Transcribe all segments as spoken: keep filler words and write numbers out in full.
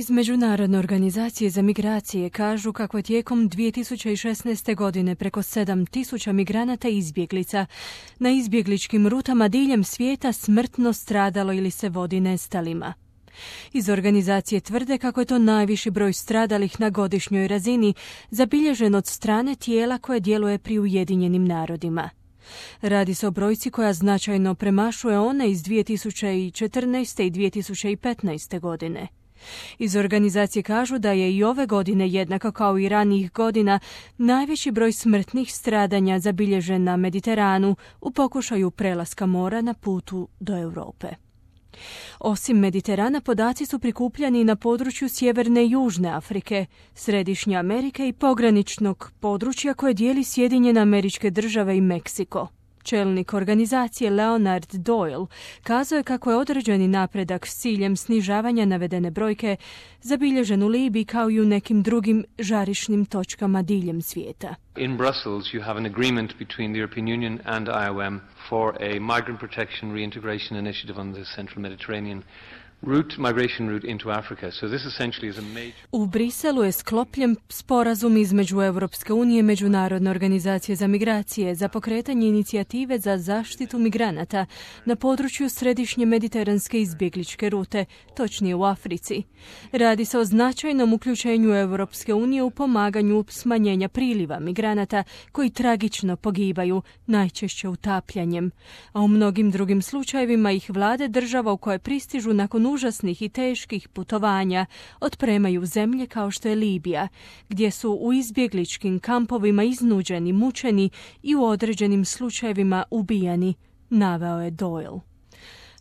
Iz Međunarodne organizacije za migracije kažu kako je tijekom dvije tisuće šesnaeste. godine preko sedam tisuća migranata i izbjeglica na izbjegličkim rutama diljem svijeta smrtno stradalo ili se vodi nestalima. Iz organizacije tvrde kako je to najviši broj stradalih na godišnjoj razini, zabilježen od strane tijela koje djeluje pri Ujedinjenim narodima. Radi se o brojci koja značajno premašuje one iz dvije tisuće četrnaeste. i dvije tisuće petnaeste. godine. Iz organizacije kažu da je i ove godine, jednako kao i ranijih godina, najveći broj smrtnih stradanja zabilježen na Mediteranu u pokušaju prelaska mora na putu do Europe. Osim Mediterana, podaci su prikupljani na području Sjeverne i Južne Afrike, Središnje Amerike i pograničnog područja koje dijeli Sjedinjene Američke Države i Meksiko. Čelnik organizacije Leonard Doyle kazao je kako je određeni napredak s ciljem snižavanja navedene brojke zabilježen u Libiji kao i u nekim drugim žarišnim točkama diljem svijeta. In Brussels you have an agreement between the European Union and I O M for a migrant protection reintegration initiative on the central Mediterranean route, migration route into Africa. So this essentially is a major... U Briselu je sklopljen sporazum između Europske unije i Međunarodne organizacije za migracije za pokretanje inicijative za zaštitu migranata na području središnje mediteranske izbjegličke rute, točnije u Africi. Radi se o značajnom uključenju Europske unije u pomaganju smanjenja priliva migranata koji tragično pogibaju, najčešće utapljanjem, a u mnogim drugim slučajevima ih vlade država u koje pristižu nakon užasnih i teških putovanja otpremaju zemlje kao što je Libija, gdje su u izbjegličkim kampovima iznuđeni, mučeni i u određenim slučajevima ubijani, naveo je Doyle.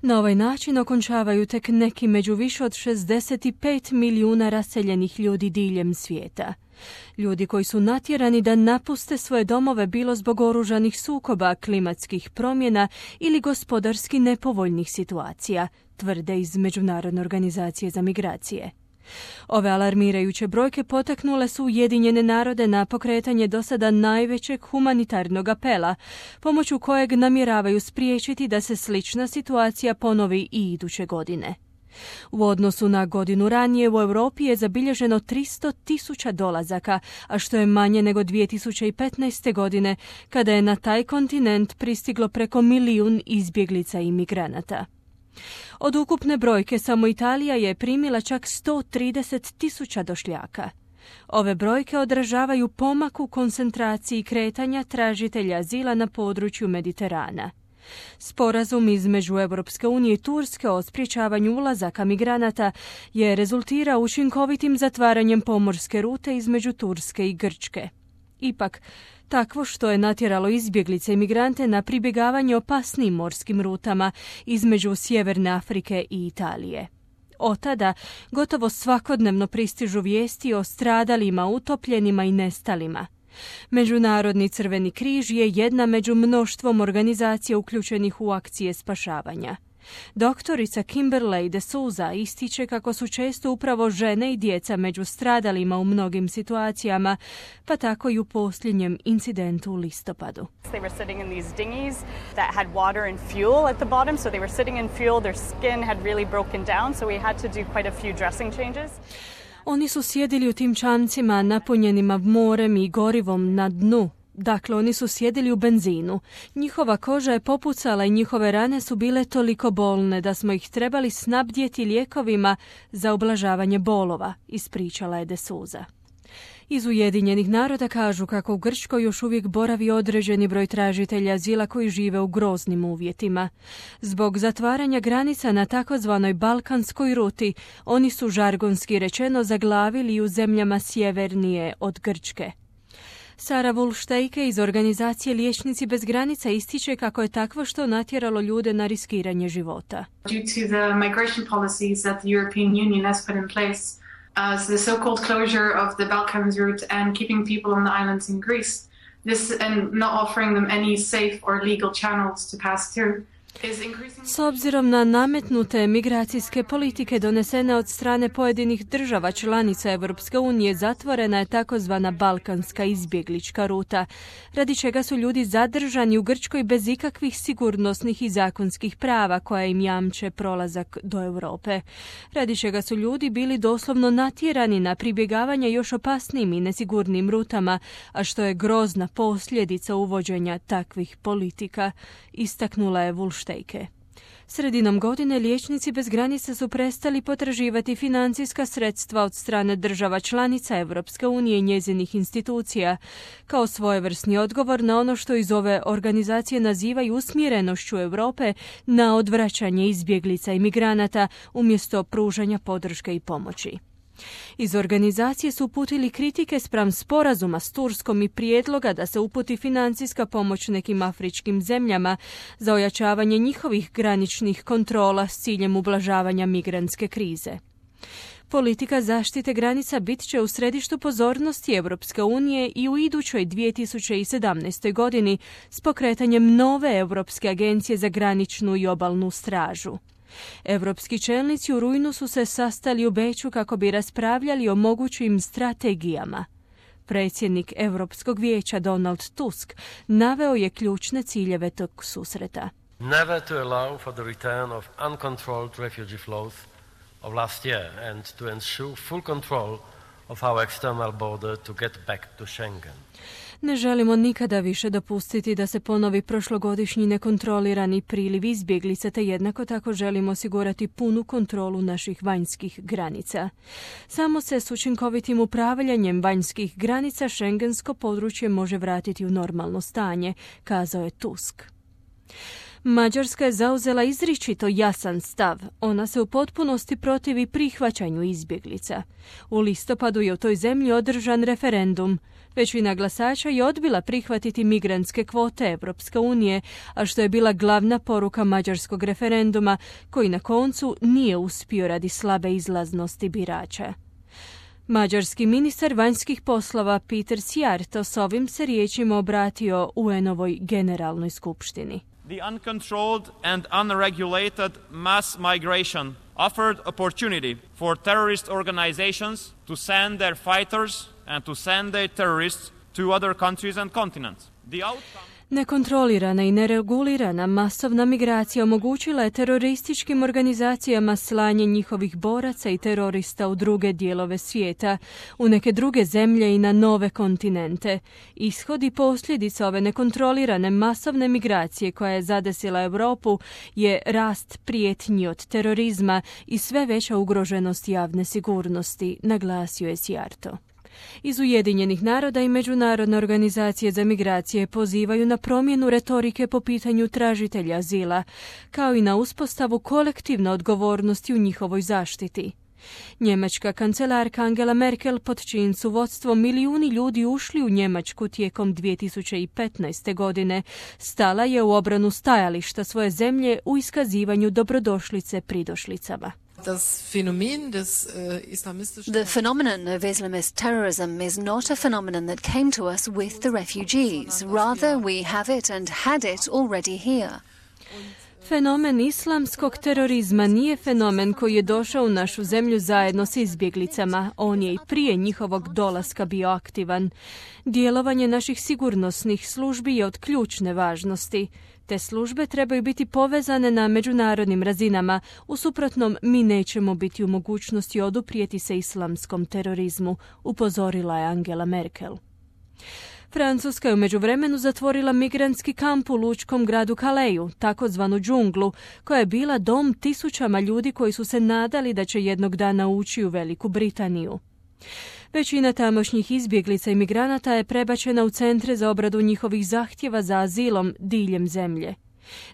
Na ovaj način okončavaju tek neki među više od šezdeset pet milijuna raseljenih ljudi diljem svijeta. Ljudi koji su natjerani da napuste svoje domove bilo zbog oružanih sukoba, klimatskih promjena ili gospodarski nepovoljnih situacija, tvrde iz Međunarodne organizacije za migracije. Ove alarmirajuće brojke potaknule su Ujedinjene narode na pokretanje do sada najvećeg humanitarnog apela, pomoću kojeg namjeravaju spriječiti da se slična situacija ponovi i iduće godine. U odnosu na godinu ranije u Europi je zabilježeno tristo tisuća dolazaka, a što je manje nego dvije tisuće petnaeste. godine, kada je na taj kontinent pristiglo preko milijun izbjeglica i migranata. Od ukupne brojke samo Italija je primila čak sto trideset tisuća došljaka. Ove brojke odražavaju pomak u koncentraciji kretanja tražitelja azila na području Mediterana. Sporazum između Europske unije i Turske o sprječavanju ulazaka migranata je rezultirao učinkovitim zatvaranjem pomorske rute između Turske i Grčke. Ipak, takvo što je natjeralo izbjeglice i migrante na pribjegavanje opasnijim morskim rutama između Sjeverne Afrike i Italije. Od tada gotovo svakodnevno pristižu vijesti o stradalima, utopljenima i nestalima. Međunarodni Crveni križ je jedna među mnoštvom organizacija uključenih u akcije spašavanja. Doktorica Kimberley de Souza ističe kako su često upravo žene i djeca među stradalima u mnogim situacijama, pa tako i u posljednjem incidentu u listopadu. They were sitting in these dinghies that had water and fuel at the bottom, so they were sitting in fuel, their skin had really broken down, so we had to do quite a few dressing changes. Oni su sjedili u tim čamcima napunjenima morem i gorivom na dnu. Dakle, oni su sjedili u benzinu. Njihova koža je popucala i njihove rane su bile toliko bolne da smo ih trebali snabdjeti lijekovima za ublažavanje bolova, ispričala je de Souza. Iz Ujedinjenih naroda kažu kako u Grčkoj još uvijek boravi određeni broj tražitelja azila koji žive u groznim uvjetima. Zbog zatvaranja granica na takozvanoj balkanskoj ruti, oni su žargonski rečeno zaglavili u zemljama sjevernije od Grčke. Sara Wulstejke iz organizacije Liječnici bez granica ističe kako je takvo što natjeralo ljude na riskiranje života. Due to the migration policies that the European Union has put in place, as the so-called closure of the Balkans route and keeping people on the islands in Greece, this and not offering them any safe or legal channels to pass through. S obzirom na nametnute migracijske politike donesene od strane pojedinih država članica Europske unije, zatvorena je takozvana balkanska izbjeglička ruta, radi čega su ljudi zadržani u Grčkoj bez ikakvih sigurnosnih i zakonskih prava koja im jamče prolazak do Europe, radi čega su ljudi bili doslovno natjerani na pribjegavanje još opasnijim i nesigurnim rutama, a što je grozna posljedica uvođenja takvih politika, istaknula je Vulštejke. Sredinom godine liječnici bez granica su prestali potraživati financijska sredstva od strane država članica Europske unije i njezinih institucija, kao svojevrsni odgovor na ono što iz ove organizacije nazivaju usmjerenošću Europe na odvraćanje izbjeglica i migranata umjesto pružanja podrške i pomoći. Iz organizacije su uputili kritike spram sporazuma s Turskom i prijedloga da se uputi financijska pomoć nekim afričkim zemljama za ojačavanje njihovih graničnih kontrola s ciljem ublažavanja migrantske krize. Politika zaštite granica bit će u središtu pozornosti Europske unije i u idućoj dvije tisuće sedamnaestoj godini s pokretanjem nove Europske agencije za graničnu i obalnu stražu. Europski čelnici u rujnu su se sastali u Beču kako bi raspravljali o mogućim strategijama. Predsjednik Europskog vijeća Donald Tusk naveo je ključne ciljeve tog susreta. Never to allow for the return of uncontrolled refugee flows of last year and to ensure full control of our external border to get back to Schengen. Ne želimo nikada više dopustiti da se ponovi prošlogodišnji nekontrolirani priliv izbjeglica, te jednako tako želimo osigurati punu kontrolu naših vanjskih granica. Samo se s učinkovitim upravljanjem vanjskih granica šengensko područje može vratiti u normalno stanje, kazao je Tusk. Mađarska je zauzela izričito jasan stav. Ona se u potpunosti protivi prihvaćanju izbjeglica. U listopadu je u toj zemlji održan referendum. Većina glasača je odbila prihvatiti migrantske kvote Europske unije, a što je bila glavna poruka mađarskog referenduma, koji na koncu nije uspio radi slabe izlaznosti birača. Mađarski ministar vanjskih poslova Peter Szijjártó s ovim se riječima obratio U N-ovoj generalnoj skupštini. The uncontrolled and unregulated mass migration offered opportunity for terrorist organizations to send their fighters and to send their terrorists to other countries and continents. The outcome... Nekontrolirana i neregulirana masovna migracija omogućila je terorističkim organizacijama slanje njihovih boraca i terorista u druge dijelove svijeta, u neke druge zemlje i na nove kontinente. Ishod i posljedica ove nekontrolirane masovne migracije koja je zadesila Europu je rast prijetnji od terorizma i sve veća ugroženost javne sigurnosti, naglasio je Szijjártó. Iz Ujedinjenih naroda i Međunarodne organizacije za migracije pozivaju na promjenu retorike po pitanju tražitelja azila, kao i na uspostavu kolektivne odgovornosti u njihovoj zaštiti. Njemačka kancelarka Angela Merkel, pod čijim su vodstvom milijuni ljudi ušli u Njemačku tijekom dvije tisuće petnaeste. godine, stala je u obranu stajališta svoje zemlje u iskazivanju dobrodošlice pridošlicama. The phenomenon of Islamist terrorism is not a phenomenon that came to us with the refugees. Rather, we have it and had it already here. Fenomen islamskog terorizma nije fenomen koji je došao u našu zemlju zajedno s izbjeglicama. On je i prije njihovog dolaska bio aktivan. Djelovanje naših sigurnosnih službi je od ključne važnosti. Te službe trebaju biti povezane na međunarodnim razinama, u suprotnom mi nećemo biti u mogućnosti oduprijeti se islamskom terorizmu, upozorila je Angela Merkel. Francuska je u međuvremenu zatvorila migrantski kamp u lučkom gradu Calesu, takozvanu džunglu, koja je bila dom tisućama ljudi koji su se nadali da će jednog dana ući u Veliku Britaniju. Većina tamošnjih izbjeglica i migranata je prebačena u centre za obradu njihovih zahtjeva za azilom diljem zemlje.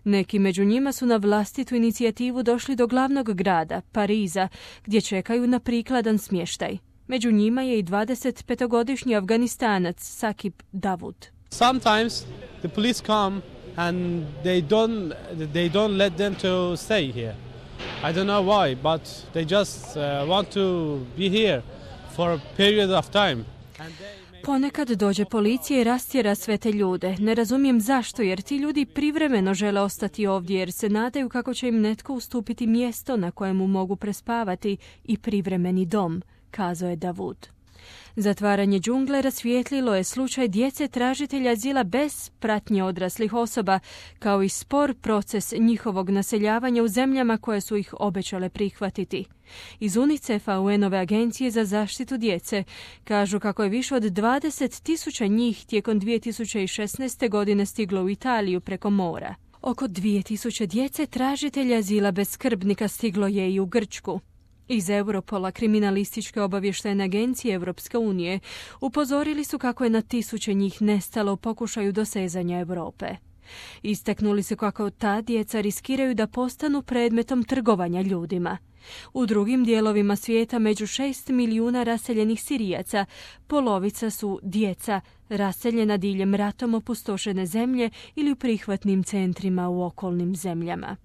Neki među njima su na vlastitu inicijativu došli do glavnog grada, Pariza, gdje čekaju na prikladan smještaj. Među njima je i dvadesetpetogodišnji Afganistanac Sakib Davud. Sometimes the police come and they don't they don't let them to stay here. I don't know why, but they just uh, want to be here for a period of time. Ponekad dođe policija i rastjera sve te ljude. Ne razumijem zašto, jer ti ljudi privremeno žele ostati ovdje jer se nadaju kako će im netko ustupiti mjesto na kojemu mogu prespavati i privremeni dom, kazao je Davud. Zatvaranje džungle rasvijetlilo je slučaj djece tražitelja azila bez pratnje odraslih osoba, kao i spor proces njihovog naseljavanja u zemljama koje su ih obećale prihvatiti. Iz UNICEF-a, U N-ove agencije za zaštitu djece, kažu kako je više od dvadeset tisuća njih tijekom dvije tisuće šesnaeste. godine stiglo u Italiju preko mora. Oko dvije tisuće djece tražitelja azila bez skrbnika stiglo je i u Grčku. Iz Europola, kriminalističke obavještajne agencije Europske unije, upozorili su kako je na tisuće njih nestalo u pokušaju dosezanja Europe. Istaknuli su kako ta djeca riskiraju da postanu predmetom trgovanja ljudima. U drugim dijelovima svijeta među šest milijuna raseljenih Sirijaca polovica su djeca raseljena diljem ratom opustošene zemlje ili u prihvatnim centrima u okolnim zemljama.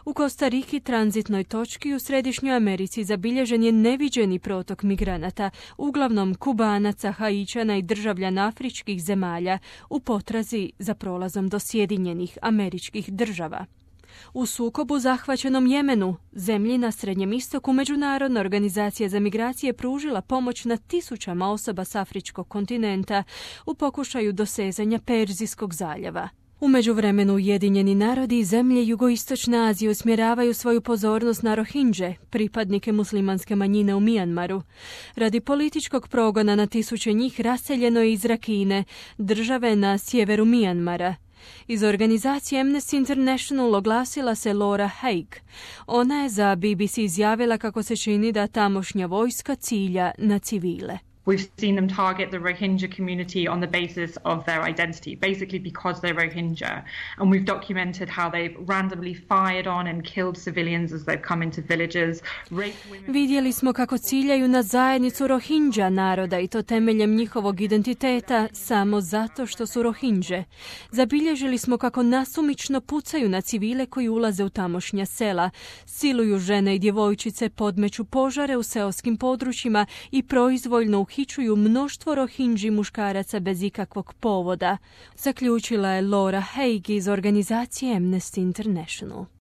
U Kostariki, tranzitnoj točki u Središnjoj Americi, zabilježen je neviđeni protok migranata, uglavnom Kubanaca, Haićana i državljana afričkih zemalja, u potrazi za prolazom do Sjedinjenih Američkih Država. U sukobu zahvaćenom Jemenu, zemlji na Srednjem istoku, Međunarodna organizacija za migracije pružila pomoć na tisućama osoba s afričkog kontinenta u pokušaju dosezanja Perzijskog zaljeva. U međuvremenu Ujedinjeni narodi i zemlje jugoistočne Azije usmjeravaju svoju pozornost na Rohingje, pripadnike muslimanske manjine u Mijanmaru. Radi političkog progona na tisuće njih raseljeno je iz Rakine, države na sjeveru Mijanmara. Iz organizacije Amnesty International oglasila se Laura Haig. Ona je za B B C izjavila kako se čini da tamošnja vojska cilja na civile. We've seen them target the Rohingya community on the basis of their identity, basically because they're Rohingya. And we've documented how they've randomly fired on and killed civilians as they've come into villages. Vidjeli smo kako ciljaju na zajednicu Rohingya naroda i to temeljem njihovog identiteta samo zato što su Rohingje. Zabilježili smo kako nasumično pucaju na civile koji ulaze u tamošnja sela, siluju žene i djevojčice, podmeću požare u seoskim područjima i proizvoljno uhićuju mnoštvo Rohingji muškaraca bez ikakvog povoda, zaključila je Laura Haig iz organizacije Amnesty International.